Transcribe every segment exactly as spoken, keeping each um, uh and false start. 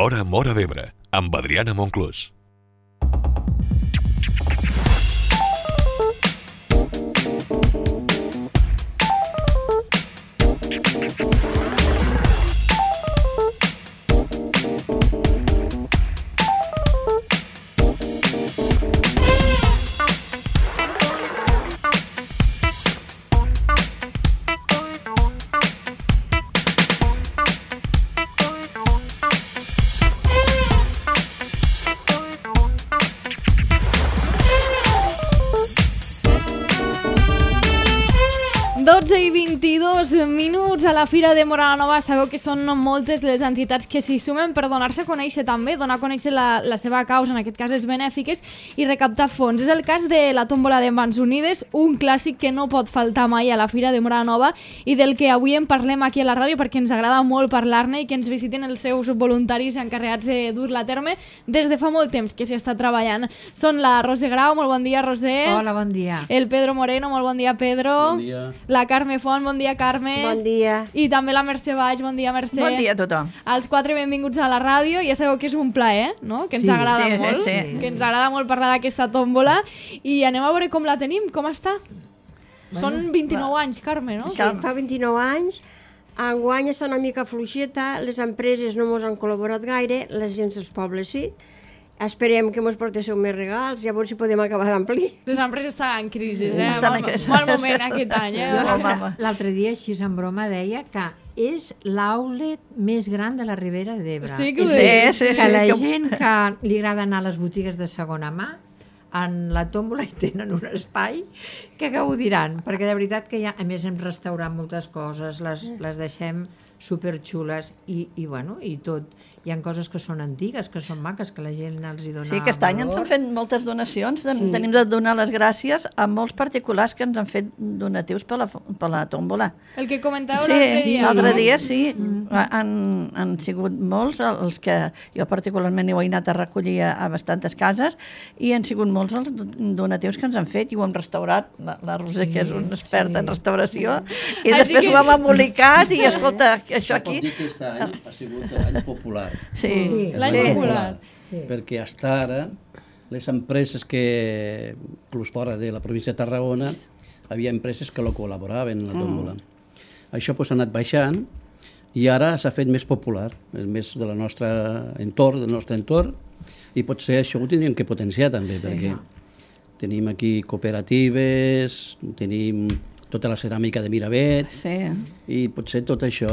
L'Hora Móra d'Ebre, amb Adriana Monclús. dotze i vint-i-dos minuts a la Fira de Móra la Nova. Sabeu que són moltes les entitats que s'hi sumen per donar-se a conèixer també, donar a conèixer la, la seva causa, en aquest cas les benèfiques, i recaptar fons. És el cas de la tòmbola de Mans Unides, un clàssic que no pot faltar mai a la Fira de Móra la Nova i del que avui en parlem aquí a la ràdio perquè ens agrada molt parlar-ne i que ens visiten els seus voluntaris encarregats de dur-la a terme des de fa molt temps que s'hi està treballant. Són la Roser Grau, molt bon dia, Roser. Hola, bon dia. El Pedro Moreno, molt bon dia, Pedro. Bon dia. La Carme Font, bon dia, Carme. Bon dia. I també la Mercè Baix, bon dia, Mercè. Bon dia a tothom. Els quatre benvinguts a la ràdio. Ja sabeu que és un plaer, no? Que ens Sí, agrada sí, molt, sí, que sí. ens agrada molt parlar d'aquesta tòmbola. I anem a veure com la tenim, com està. Són vint-i-nou anys, Carme, no? Sí, fa vint-i-nou anys. Enguany està una mica fluixeta, les empreses no mos han col·laborat gaire, la gent dels pobles sí. Esperem que mos portéssiu més regals, llavors si podem acabar d'amplir. Les empreses estan en crisi, eh? estan en Mal, crisi. mal moment aquest any, eh? Jo Home, l'altre- home. L'altre dia, així en broma, deia que és l'outlet més gran de la Ribera d'Ebre. Sí que ho És dius. Sí, sí, que sí, la que- gent que li agrada anar a les botigues de segona mà, en la tòmbola hi tenen un espai que gaudiran, perquè de veritat que ja, a més hem restaurat moltes coses, les, les deixem superxules i, i, bueno, i tot. Hi ha coses que són antigues, que són maques, que la gent els hi dona Sí, aquest any ens valor. han fet moltes donacions. Sí. Sí. Tenim de donar les gràcies a molts particulars que ens han fet donatius per la, per la tòmbola. El que comentàveu Sí, l'altre dia. l'altre no? dia sí, han, han sigut molts els que jo particularment ho he anat a recollir a, a bastantes cases i han sigut molts els donatius que ens han fet i ho hem restaurat, la, la Roser, Sí, que és una experta sí. en restauració, i Així després que- ho hem embolicat i escolta, això Pot aquí... dir que aquest any ha sigut l'any popular. Sí, Sí. L'any sí. popular. Sí. Perquè fins ara les empreses que, inclús fora de la província de Tarragona, havia empreses que lo col·laboraven en la tòmbola. Mm. Això pues, ha anat baixant i ara s'ha fet més popular, és més del nostre entorn, del nostre entorn, i potser això ho tindríem que potenciar també, sí. perquè tenim aquí cooperatives, tenim tota la ceràmica de Miravet, Sí. i potser tot això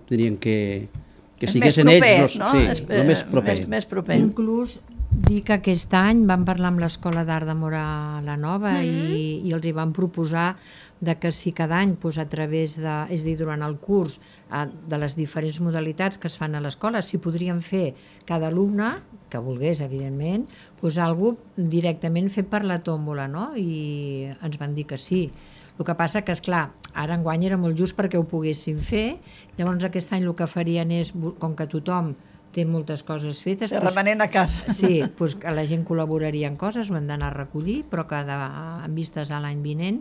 tindrien que, que És siguessin més proper, ells, no? sí, És, el més proper. Més, més proper. Inclús dir que aquest any vam parlar amb l'Escola d'Art de Móra la Nova mm -hmm. i, i els hi vam proposar de que si cada any pues, a través de, és a dir, durant el curs eh, de les diferents modalitats que es fan a l'escola, si podríem fer cada alumne, que volgués evidentment, pues, algú directament fet per la tòmbola, no? I ens van dir que sí. El que passa que, esclar, ara enguany era molt just perquè ho poguéssim fer, llavors aquest any el que farien és, com que tothom té moltes coses fetes... Se doncs, remenent a casa. sí, doncs que la gent col·laboraria en coses, ho hem d'anar a recollir, però que de, en vistes a l'any vinent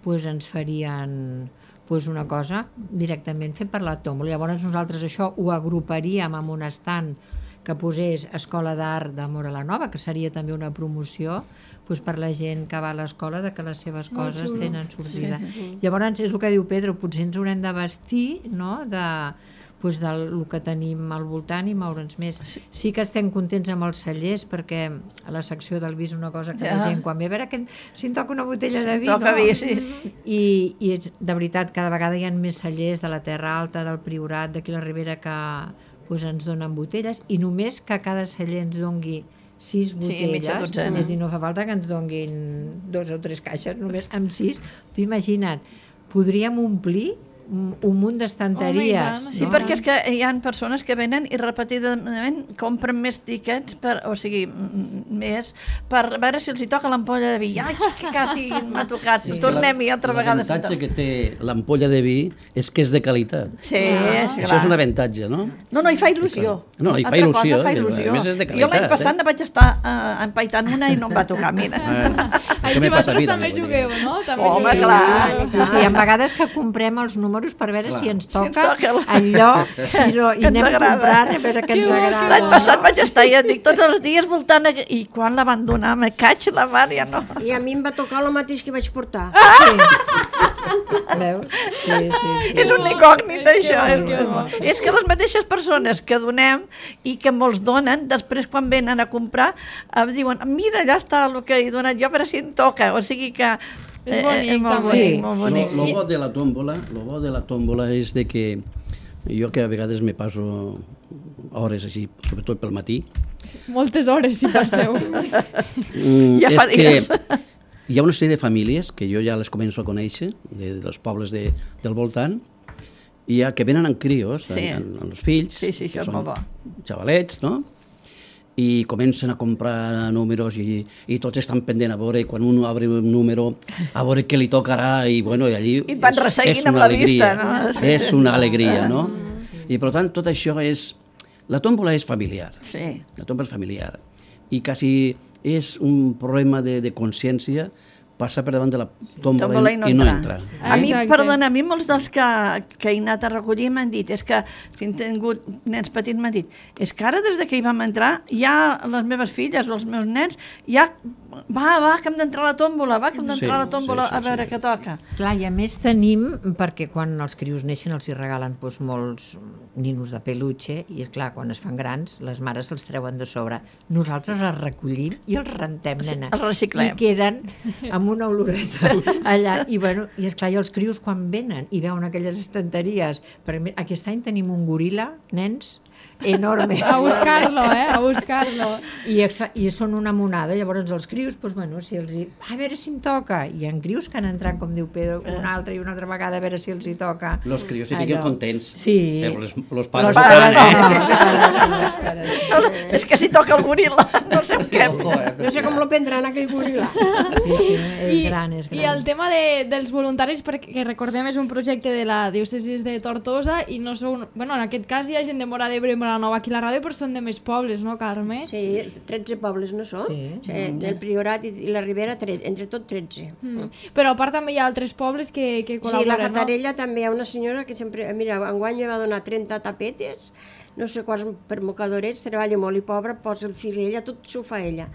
doncs ens farien doncs una cosa directament fet per la tòmbola. Llavors nosaltres això ho agruparíem amb un estand que posés Escola d'Art de Móra la Nova, que seria també una promoció doncs, per la gent que va a l'escola de que les seves Molt coses xulo. tenen sortida. Sí. Llavors és el que diu Pedro, potser ens haurem de vestir, no?, de, doncs, del que tenim al voltant i moure'ns més. Sí. sí que estem contents amb els cellers perquè a la secció del vi és una cosa que ja. la gent quan ve a veure que si em toca una botella de vi, Toca no? vi, sí. I, i és, de veritat cada vegada hi ha més cellers de la Terra Alta, del Priorat, d'aquí la Ribera que doncs, ens donen botelles i només que cada celler ens dongui sis botelles, mitja dotzena. és a dir, no fa falta que ens donguin dos o tres caixes, només amb sis. Tu imagina't, podríem omplir un, un munt d'estanteries. Home, i tant. Sí, no? perquè és que hi ha persones que venen i repetidament compren més tiquets, per, o sigui, m- més, per veure si els hi toca l'ampolla de vi. Ai, que quasi m'ha tocat. Sí. Tornem-hi altra vegada. L'avantatge que té l'ampolla de vi és que és de qualitat. Sí, Ah. sí, Això és un avantatge, no? No, no, hi fa il·lusió. No, hi fa Altra il·lusió, cosa, fa i a il·lusió. més és de Jo l'any qualitat, passat eh? ne vaig estar uh, empaitant una i no em va tocar, mira. Eh, això Així me passa a vosaltres mi també vull dir. jugueu, no? També Home, jugueu. clar. Sí, sí, hi ha vegades que comprem els números números per veure si ens Si ens toca toca. allò i, no, i Que ens anem agrada. comprant a veure què ens agrada. L'any passat vaig estar, ja et dic, tots els dies voltant aqu- i quan la van donar, me caig la mar, ja no. I a mi em va tocar el mateix que vaig portar. Veus? Sí, sí, sí. És un incògnit, És que això. bo, És, que és, bo. és que les mateixes persones que donem i que molts donen, després quan venen a comprar, em diuen, mira, allà està el que he donat jo, per si em toca. O sigui que... És bonic, eh, molt també. bonic, Sí. molt Lo, bonic. lo bo de la tòmbola, lo bo de la tòmbola és de que jo que a vegades me passo hores així, sobretot pel matí, Moltes hores, si penseu. mm, Ja fa és que dies. hi ha una sèrie de famílies que jo ja les començo a conèixer, de, dels pobles de, del voltant, i ja que venen amb crios, Sí. amb, amb els fills, Sí, sí, això que és molt bo. xavalets, no? I comencen a comprar números i, i tots estan pendent a veure, quan un obre un número, a veure què li tocarà, i bueno, i allí I et van és, resseguint és amb una la alegria, vista, no? Sí, és sí. una alegria, no? I per tant tot això és... La tòmbola és familiar, Sí. la tòmbola és familiar, i quasi és un problema de, de consciència passar per davant de la tòmbola, Tòmbola i, i no i no entrar. entrar. A mi, Exacte. perdona, a mi molts dels que, que he anat a recollir m'han dit, és que, si han tingut nens petits, m'han dit, és que ara des de que hi vam entrar, ja les meves filles o els meus nens, ja, va, va, que hem d'entrar a la tòmbola, va, que hem d'entrar a la Sí, tòmbola sí, sí, a veure sí. què toca. Clar, i a més tenim, perquè quan els crios neixen els hi regalen doncs, molts ninos de peluche, i és clar, quan es fan grans, les mares se'ls treuen de sobre. Nosaltres els recollim i els rentem, nena. els reciclem. I queden amb una oloreta allà. I, bueno, i esclar, i els crios quan venen i veuen aquelles estanteries, perquè mira, aquest any tenim un goril·la, nens, enorme. A buscar-lo, eh? A buscar-lo. I, exa- I són una monada, llavors els crios, doncs, bueno, si els hi... a veure si em toca. Hi ha crios que han entrat, com diu Pedro, una altra i una altra vegada a veure si els hi toca. Los crios sí que queden Allò. contents, Sí. però les, los Los pares... pares no. no, els pares no, els pares no. No, és que si toca el goril·la, no sé què. No sé com lo prendran aquell goril·la. Sí, sí, és I, gran, és gran. I el tema de, dels voluntaris, perquè recordem és un projecte de la diòcesis de Tortosa i no sou... Bueno, en aquest cas hi ha gent de Móra d'Ebre i Móra Nova aquí a la ràdio, però són de més pobles, no, Carme? Sí, tretze pobles no són? Sí. Del Priorat i i la Ribera, tre- entre tot tretze. Mm. Però a part també hi ha altres pobles que, que Sí, col·laboren, la Fatarella també hi ha una senyora que sempre... Mira, enguany me va donar trenta tapetes, no sé quants per mocadorets, treballa molt i pobra, posa el fil ella, tot s'ho fa ella.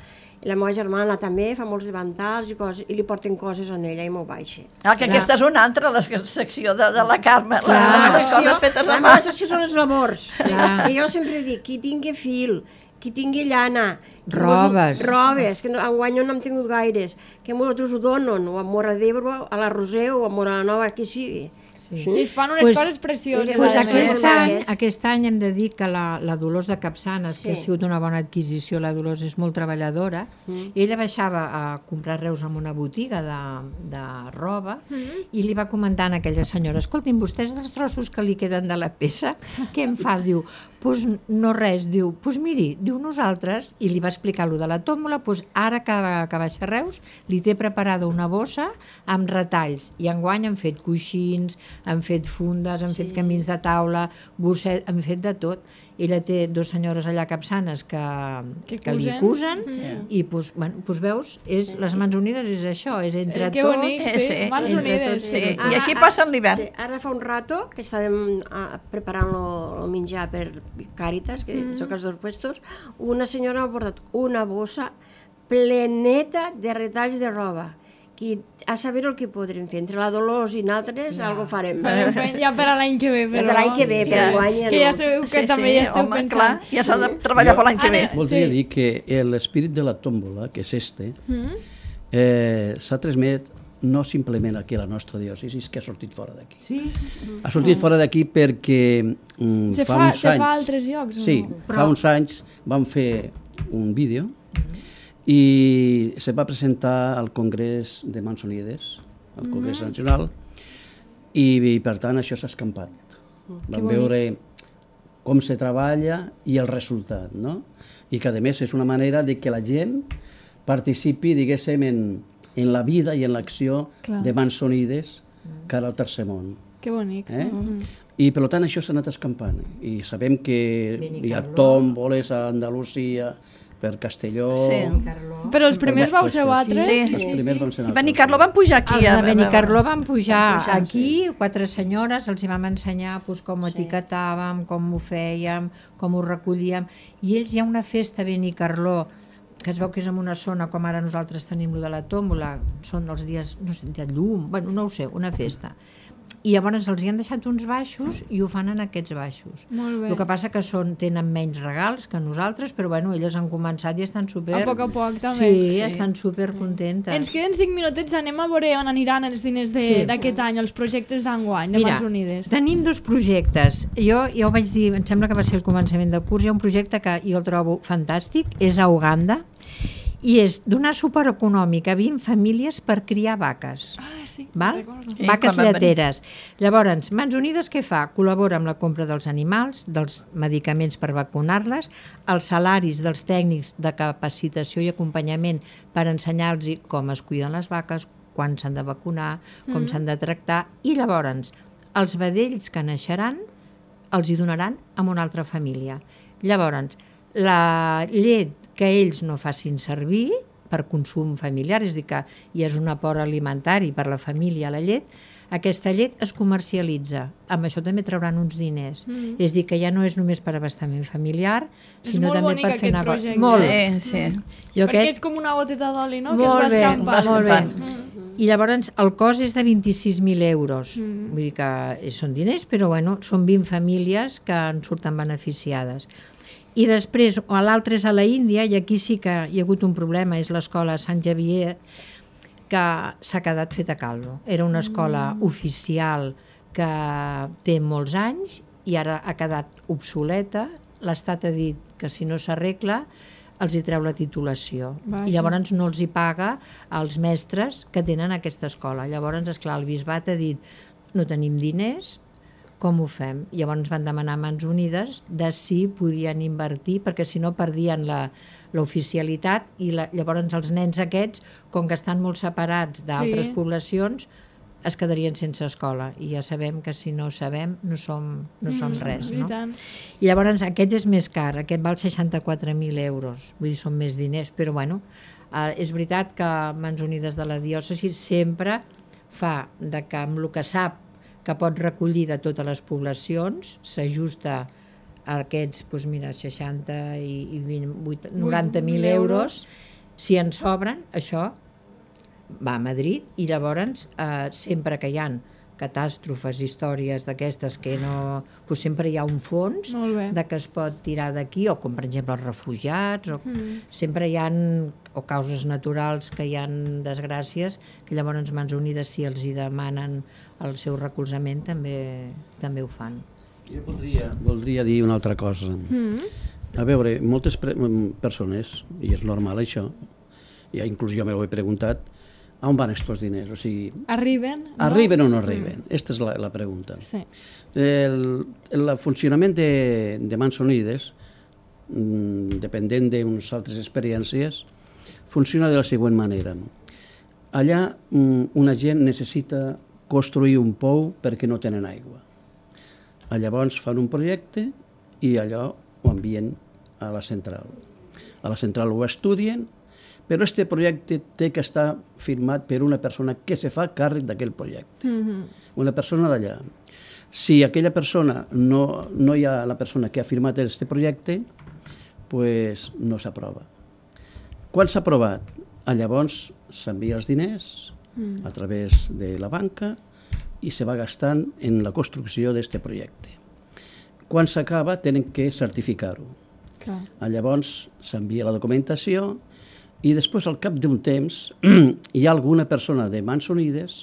I la meva germana també fa molts davantals i coses, i li porten coses a ella i m'ho baixa. Ah, que aquesta és una altra, la secció de, de la Carme. Clar. La, La les secció, coses fetes la a mà. meva secció són les labors. Clar. I jo sempre dic, qui tingui fil, qui tingui llana, qui Robes. mos ho- robes, que no, enguany no n'hem tingut gaires, que nosaltres ho donen, o a Mora d'Ebre, a la Roser, o a Mora la Nova, qui sigui. Sí. I es fan unes Pues- coses precioses. Pues a a més. aquest, més. any, aquest any hem de dir que la, la Dolors de Capçanes, sí. que ha Sí. sigut una bona adquisició, la Dolors és molt treballadora, mm. i ella baixava a comprar reus en una botiga de, de roba mm. i li va comentar a aquella senyora, escolti'm, vostès dels trossos que li queden de la peça, què em fa? Diu, pues no res, diu, pues miri, diu nosaltres, i li va explicar lo de la tòmbola, pues ara que, que baixa Reus, li té preparada una bossa amb retalls, i enguany han fet coixins, han fet fundes, han sí. fet camins de taula, bosset, han fet de tot. Ella té dues senyores allà capçanes que, Que que li cusen. cusen, mm. i pues, bueno, pues veus, és, les mans unides és això, és entre Eh, que tots. bonic, Eh, sí, sí. mans Entre unides. tots, Sí, sí. i així passa l'hivern. Sí, ara fa un rato que estàvem ah, preparant el menjar per Càritas, que mm. soc els dos puestos, una senyora m'ha portat una bossa pleneta de retalls de roba. Qui, a saber el que podrem fer. Entre la Dolors i nosaltres, ja. algo farem. Farem fe- Ja per a l'any que ve, Ja però... per l'any que ve, per Ja. enguany ja Que ja no. sabeu que també ja esteu home, pensant. clar, ja s'ha de treballar per l'any que ve. Ara- Voldria Sí. dir que l'espírit de la tòmbola, que és este, Mm? eh, s'ha transmet no simplement aquí a la nostra diòcesi, que ha sortit fora d'aquí. Sí, Ha sortit fora d'aquí perquè mm, Se fa, fa- uns se fa anys... a altres llocs, o Sí, no? fa uns anys vam fer un vídeo i se va presentar al Congrés de Mansonides, al Congrés Mm. Nacional, i, i per tant això s'ha escampat. Vam veure com se treballa i el resultat, no? I que a més és una manera de que la gent participi, diguéssim, en, en la vida i en l'acció Clar. de Mansonides cara al tercer món. Que bonic. Eh? I per tant això s'ha anat escampant i sabem que hi ha Benicarló. tòmboles a Andalusia, per Castelló... Sí. Però els primers vau ser vosaltres? Sí, Els primers van ser I Benicarló van pujar aquí. Els a- de Benicarló van pujar van pujar, aquí, quatre senyores, els hi vam ensenyar pues, com ho etiquetàvem, com ho fèiem, com ho recollíem. I ells hi ha una festa a Benicarló, que es veu que és en una zona com ara nosaltres tenim lo de la tòmbola, són els dies, no sé, de llum, bueno, no ho sé, una festa. I llavors els hi han deixat uns baixos i ho fan en aquests baixos. Molt bé. El que passa que són, tenen menys regals que nosaltres, però bueno, elles han començat i estan super... A poc a poc, també. Sí, Sí. estan super contentes. Ens queden cinc minutets, anem a veure on aniran els diners Sí. d'aquest any, els projectes d'enguany, de Mira, Mans Unides. tenim dos projectes. Jo ja ho vaig dir, em sembla que va ser el començament de curs, hi ha un projecte que jo el trobo fantàstic, és a Uganda, i és donar suport econòmic a vint famílies per criar vaques. Ah, sí, Val? recordo. Sí, Vaques quan van venir. lleteres. Llavors, Mans Unides què fa? Col·labora amb la compra dels animals, dels medicaments per vacunar-les, els salaris dels tècnics de capacitació i acompanyament per ensenyar-los com es cuiden les vaques, quan s'han de vacunar, com s'han de tractar, i llavors els vedells que naixeran els hi donaran a una altra família. Llavors, la llet que ells no facin servir per consum familiar, és a dir que hi és un aport alimentari per la família, la llet, aquesta llet es comercialitza. Amb això també trauran uns diners. Mm. És a dir, que ja no és només per abastament familiar, És sinó molt també bonic per fer aquest negoci. projecte. Molt. Sí, sí. Jo Perquè aquest... és com una goteta d'oli, no? Molt que es bé, va escampant. molt bé. escampant. I llavors el cost és de vint-i-sis mil euros. Mm. Vull dir que són diners, però bueno, són vint famílies que en surten beneficiades. I després, l'altre és a la Índia, i aquí sí que hi ha hagut un problema, és l'escola Sant Xavier, que s'ha quedat feta caldo. Era una escola mm. oficial que té molts anys i ara ha quedat obsoleta. L'Estat ha dit que si no s'arregla els hi treu la titulació. Vaja. I llavors no els hi paga als mestres que tenen aquesta escola. Llavors, esclar, el bisbat ha dit no tenim diners, com ho fem? Llavors van demanar a Mans Unides de si podien invertir, perquè si no perdien la l'oficialitat i la, llavors els nens aquests, com que estan molt separats d'altres Sí. poblacions, es quedarien sense escola. I ja sabem que si no sabem no som, no som res. I No? tant. I llavors aquest és més car, aquest val seixanta-quatre mil euros, vull dir, són més diners, però bueno, eh, és veritat que Mans Unides de la diòcesi sempre fa de que amb el que sap que pot recollir de totes les poblacions, s'ajusta a aquests, doncs mira, seixanta i, i vint, vuit, noranta mil euros, si en sobren, això va a Madrid i llavors eh, sempre que hi ha catàstrofes, històries d'aquestes que no... Doncs sempre hi ha un fons Molt bé. de que es pot tirar d'aquí, o com per exemple els refugiats, o mm. sempre hi ha o causes naturals que hi ha desgràcies, que llavors Mans Unides, si els hi demanen el seu recolzament, també, també ho fan. Jo voldria, voldria dir una altra cosa. Mm. A veure, moltes pre persones, i és normal això, ja inclús jo m'ho he preguntat, on van aquests diners? O sigui, Arriben? No? arriben o no arriben? Aquesta és la, la pregunta. Sí. El, el funcionament de, de Mans Unides, mm, dependent d'unes altres experiències, funciona de la següent manera. Allà mm, una gent necessita construir un pou perquè no tenen aigua. Llavors fan un projecte i allò ho envien a la central. A la central ho estudien, però aquest projecte té que estar firmat per una persona que se fa càrrec d'aquell projecte. Mm-hmm. Una persona d'allà. Si aquella persona, no, no hi ha la persona que ha firmat aquest projecte, pues no s'aprova. Quan s'ha aprovat? Llavors s'envia els diners mm. a través de la banca i se va gastant en la construcció d'aquest projecte. Quan s'acaba tenen que certificar-ho. Llavors s'envia la documentació i després, al cap d'un temps, hi ha alguna persona de Mans Unides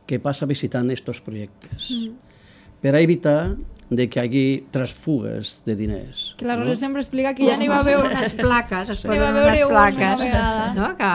que passa visitant aquests projectes mm. per a evitar de que hi hagi transfugues de diners. Que la Rosa no? sempre explica que ja n'hi va veure unes plaques, es N'hi va posen veure unes una plaques, vegada. no? Que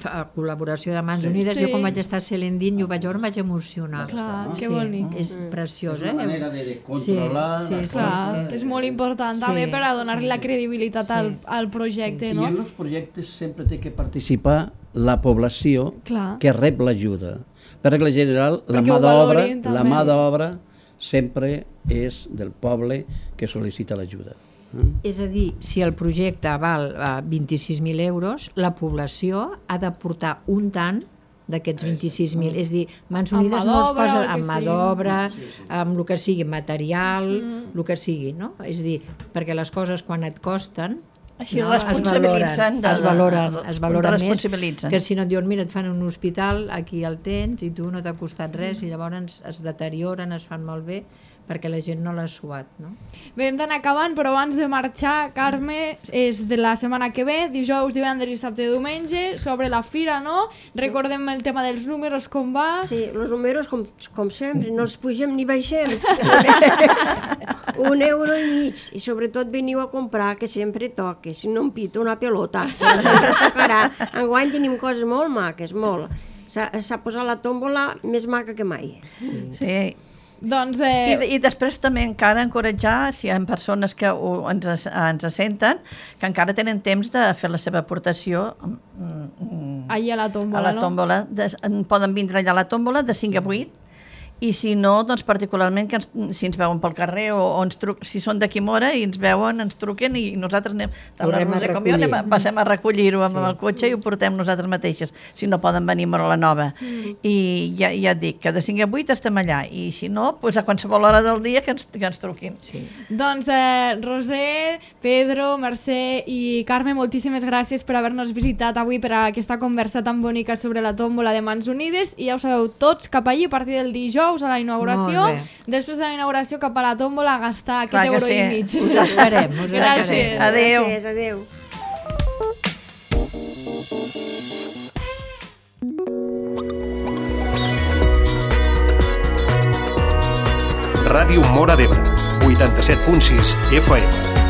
fa col·laboració de Mans Sí. Unides, Sí. jo quan vaig estar a Selendín i ho vaig veure em vaig emocionar. Clar, que sí, bonic. és preciós, És eh? una manera de, de controlar... Sí, sí, les sí, Clar, coses. que és molt important Sí, també per a donar-li sí, la credibilitat sí. al, al projecte, I no? en els projectes sempre té que participar la població Clar. que rep l'ajuda. Per regla general, la Perquè mà ho d'obra valorin, la també. mà d'obra sempre és del poble que sol·licita l'ajuda. És a dir, si el projecte val eh, vint-i-sis mil euros, la població ha d'aportar un tant d'aquests vint-i-sis mil. És a dir, Mans Unides Amb mà no es d'obra, posa el que amb mà sigui. d'obra, amb el que sigui, material, el que sigui, no? És a dir, perquè les coses quan et costen Així no, responsabilitzen. es valoren, es valoren més responsabilitzen. que si no et diuen, mira, et fan un hospital, aquí el tens i tu no t'ha costat res i llavors es deterioren, es fan malbé perquè la gent no l'ha suat, no? Bé, hem d'anar acabant, però abans de marxar, Carme, és de la setmana que ve, dijous, divendres, dissabte i diumenge, sobre la fira, no? Sí. Recordem el tema dels números, com va. Sí, els números, com, com sempre, no els pugem ni baixem. Un euro i mig. I sobretot veniu a comprar, que sempre toque. Si no em pito una pelota, però sempre es tocarà. Enguany tenim coses molt maques, molt. S'ha posat la tòmbola més maca que mai. Sí. sí. Doncs, I, eh... I després també encara encoratjar, si hi ha persones que ho, ens, ens senten, que encara tenen temps de fer la seva aportació mm, allà a la tòmbola, a la tòmbola. no? De, poden vindre allà a la tòmbola de cinc a vuit, i si no, doncs particularment que ens, si ens veuen pel carrer o, o ens truc, si són d'aquí Mora i ens veuen, ens truquen i nosaltres anem, tant la Roser com jo, anem, a- passem a recollir-ho amb Sí. el cotxe i ho portem nosaltres mateixes, si no poden venir a Mora la Nova. Mm. I ja, ja et dic que de cinc a vuit estem allà, i si no, doncs a qualsevol hora del dia que ens, que ens truquin. Sí. Doncs, eh, Roser, Pedro, Mercè i Carme, moltíssimes gràcies per haver-nos visitat avui per a aquesta conversa tan bonica sobre la tòmbola de Mans Unides, i ja ho sabeu, tots cap allí a partir del dijous a la inauguració, Molt bé. després de la inauguració cap a la tòmbola a gastar aquest Clar que euro sí. i mig. Us esperem, us Gràcies. esperem. Adéu. Gràcies, adéu. Ràdio Móra d'Ebre, vuitanta-set punt sis F M.